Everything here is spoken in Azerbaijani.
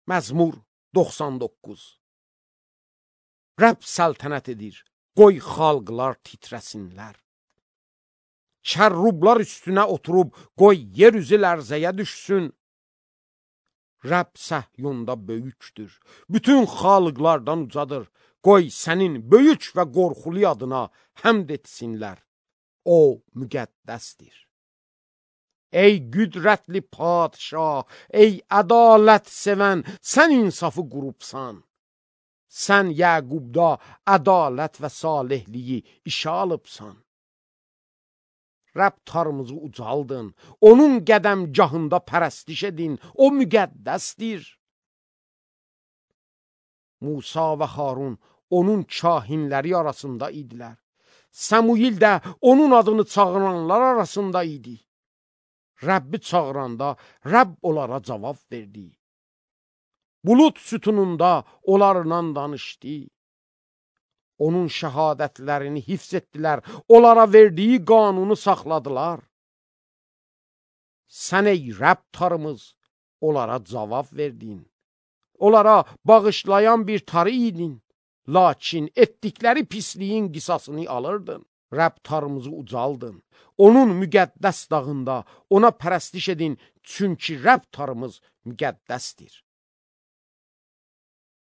Məzmur 99. Rəbb səltənət edir, qoy xalqlar titrəsinlər. Kərrublar üstünə oturub, qoy yer üzü lərzəyə düşsün. Rəbb Səhyunda böyükdür, bütün xalqlardan ucadır. Qoy sənin böyük və qorxulu adına həmd etsinlər. O müqəddəsdir. Ey qüdrətli padşah, ey ədalət sevən, sən insafı qurubsan. Sən Yəqubda ədalət və salihliyi işə alıbsan. Rəbb tarımızı ucaldın, onun qədəmgahında pərəstiş edin, o müqəddəsdir. Musa və Harun onun kahinləri arasında idilər. Səmuil də onun adını çağıranlar arasında idi. Rəbbi çağıranda Rəbb onlara cavab verdi. Bulut sütununda onlarla danışdı. Onun şəhadətlərini hifz etdilər, onlara verdiyi qanunu saxladılar. Sən ey Rəbb tarımız, onlara cavab verdin. Onlara bağışlayan bir tarı idin, lakin etdikləri pisliyin qisasını alırdın. Rəbb tarımızı ucaldın, onun müqəddəs dağında ona pərəstiş edin, çünki Rəbb tarımız müqəddəsdir.